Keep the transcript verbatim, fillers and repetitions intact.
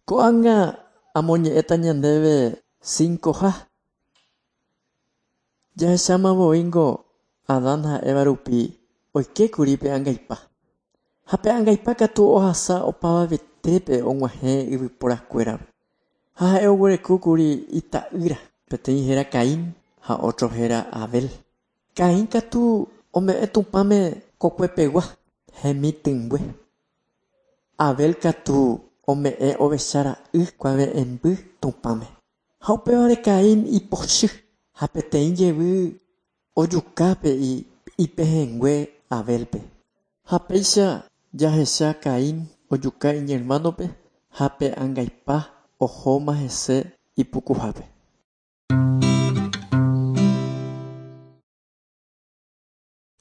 Ko'ág̃a amoñe'ẽta ñandéve cincoha. Jahechamavoíngo Adán ha Eva rupi oikékuri pe angaipa. Ha pe angaipa katu ohasa opavavetépe og̃uahẽ yvyporakuérape. Ha ha'e oguerekókuri ita'ýra, peteĩ héra Caín ha otro héra Abel. Caín katu ome'ẽ Tupãme kokuepegua hemitỹngue. Abel katu ome'ẽ ovechara'y kuave'ẽmby Tupãme. Ha upévare Caín ipochy ha peteĩ jevy ojukápe ipehẽngue Abelpe. Ha péicha jahecha Caín ojuka iñermánope ha pe angaipa ohóma hese ipukuhápe.